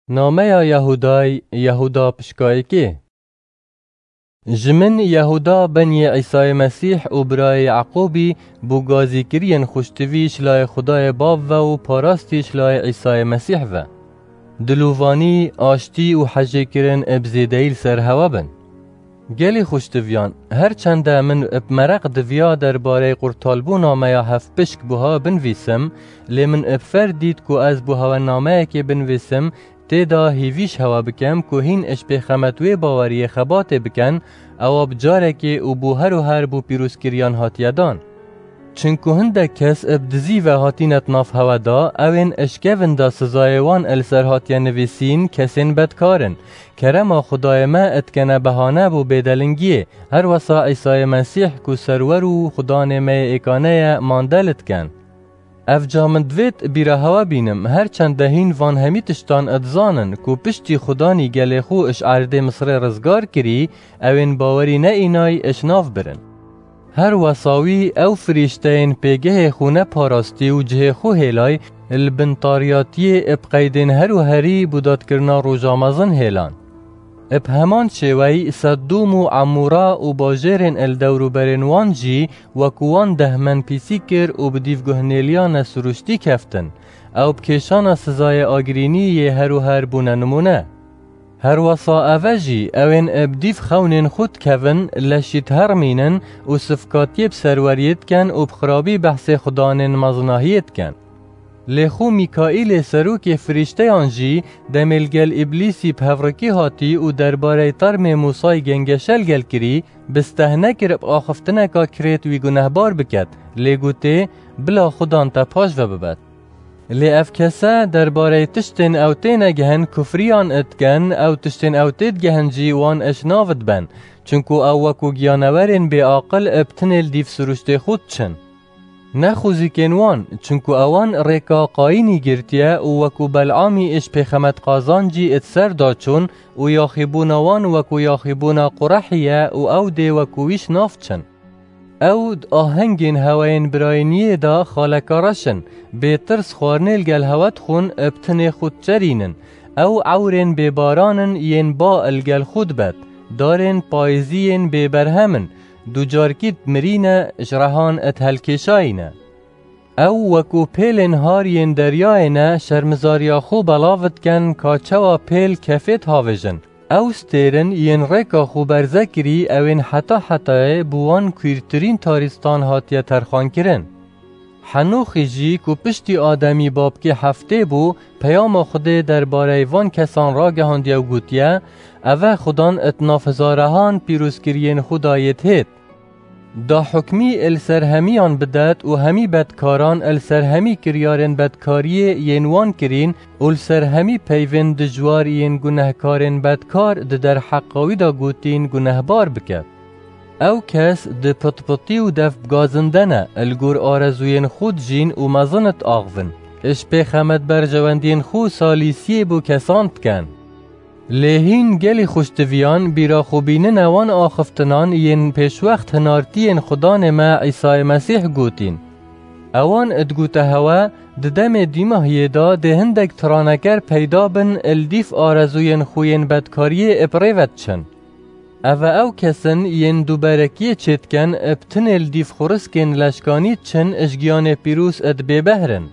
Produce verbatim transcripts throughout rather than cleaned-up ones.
Nameya Yehûdayî, Yehûda pişka yekê. Ji min Yehûda beniyê Îsayê Mesîh û birayê Yeqûbî bo gazîkiriyên xuştivî ji layê Xwedayê Bav ve û parastî ji layê Îsayê Mesîh ve. Dilovanî, aştî û hejêkirin bi zêdeyî li ser hewe bin. Gelî xuştiviyan, her çende min bi mereq diviya derbareyê qurtalbûna me ya hevpişk buha binivîsim, lê min bi fer dît ku ez buha we nameyekê binivîsim, tê de hêvî ji hewe bikem ku hîn ji pêxemet wê baweriyê xebatê bikin, ewa bi carekê û bo her û her bo pîrozkiriyan hatiye dan. Çinku hindek kes bi dizî ve hatîne di nav hewe de, ew ên ji kevin de sizayê wan li ser hatiye nivîsîn kesên bedkar in. Kerema Xwedayê me dikene behane bo bêdelingiyê. Her wesa Îsayê Mesîh ku serwer û Xudanê me yê êkane ye, mande li dikin. Ev ca min divêt bîra hewe bînim, her çende hîn van hemî tiştan dizanin ku piştî Xudanî gelê xwe ji erdê Misirê rizgar kirî, ew ên bawerî neînay ji nav birin. Her wesa wî ew firîşteyên pêgehê xwe neparastî û cihê xwe hêlay, li bin tariyatiyê bi qeydên her û herî bo dadkirina roja mezin hêlan. Bi heman şêweyî Seddûm û Emûra û bajêrên li dewrûberên wan jî wekû wan dehmenpîsî kir û bi dîv guhnêliya nesirûştî keftin. Ew bi kêşana sizayê agirînî yê her û her bûne nimûne. Her wesa ev e jî, ew ên bi dîv xewnên xwe dikevin, leşî diherimînin û sifkatiyê bi serweriyê dikin û bi xirabî behsê xudanên mezinahiyê dikin. Lê xwe Mîkaîlê serokê firîşteyan jî, demê li gel Îblîsî bi hevrikî hatî û derbarey termê Mûsayî gengeşe li gel kirî, bi steh nekir bi axiftineka kirêt wî gunehbar biket, lê gotê, bila xudan te paş ve bibet. Lê ev kese derbarey tiştên ew têne gihin kufriyan dikin, ew tiştên ew tê digihin jî wan ji nav diben, çinku ew wekû giyanewerên bêaqil bi tinê li dîv sirûştê xwe diçin. Ne xwezîkên wan, çinku ewan rêka Qayînî girtiye û wekû Belamî ji pêxemet qazancî di ser de çûn û yaxîbûna wan wekû yaxîbûna Qurehî ye û ew dê wekû wî ji nav çin. Ew di ahengên hewayên birayîniyê de xaleka reş in, bêtirs xwarinê li gel hewe dixwin, bi tinê xwe diçerînin. Ew ewrên bêbaran in yên ba li gel xwe dibet, darên payîzî yên bêberhem in, ducarkî dimirîne, ji rehan dihelkêşayîne. Ew wekû pêlên har yên deryayê ne, şermizariya xwe belav dikin ka çawa pêl kefê dihavêjin. Ew stêrin yên rêka xwe berze kirî, ew ên heta hetayê bi wan kûrtirîn tarîstan hatiye terxankirin. Henûxî jî ku piştî Ademî babkê heftê bû, peyama Xwedê derbarey van kesan ragihandiye û gotiye, Ev e Xudan di nav hizarehan pîrozkiriyên xwe de yê dihêt. Da hukmî li ser hemiyan bidet û hemî bedkaran li ser hemî kiryarên bedkariyê yên wan kirîn û li ser hemî peyvên dijwar yên gunehkarên bedkar di derheqa wî de gotîn gunehbar biket. Ew kes di pitpitî û def bi gazin de ne, li gor arezûyên xwe dijîn û mezin diaxivin. Ji pêxemet berjewendiyên xwe salîsiyê bo kesan dikin. Lê hîn gelî xuştiviyan bîra xwe bînine wan axiftinan yên pêşwext hinartiyên Xudanê me Îsayê Mesîh gotîn. Ewan digote hewe, di demê dîmahiyê de dê hindek tiraneker peyda bin, li dîv arezûyên xwe yên bedkariyê bi rê ve diçin. Ev e ew kes in yên duberekiyê çêdikin, bi tinê li dîv xuriskên leşkanî diçin, ji giyanê pîroz di bêbehr in.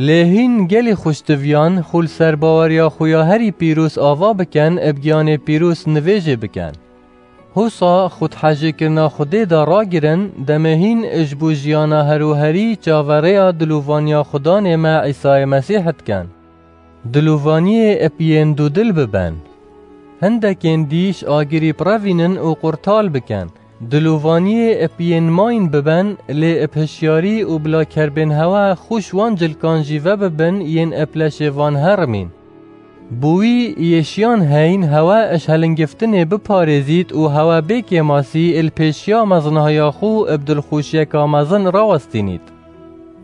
Lê hîn gelî xuştiviyan xwe li ser baweriya xwe ya herî pîroz ava bikin, bi giyanê pîroz nivêjê bikin. Hosa xwe di hejêkirina Xwedê de ragirin, demê hîn ji bo jiyana her û herî çaverêya dilovaniya Xudanê me Îsayê Mesîh dikin. Dilovaniyê bi yên dudil bibin. Hindekên dî ji agirî birevînin û qurtal bikin. Dilovaniyê bi yên mayîn bibin, lê bi hişyarî û bila kerbên hewe xwe ji wan cilkan jî vebibin yên bi leşê van herimîn. Bo wî yê şiyan heyn hewe ji helingiftinê biparêzît û hewe bê kêmasî li pêşiya mezinahiya xwe bi dilxweşiyeka mezin rawestînît.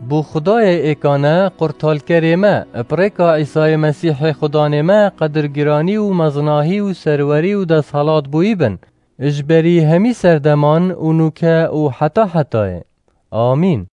Bo Xwedayê êkane, qurtalkerê me, bi rêka Îsayê Mesîhê Xudanê me, qedirgiranî û mezinahî û serwerî û desthilat bo wî bin, ji berî hemî serdeman û nûke û heta hetayê. Amîn.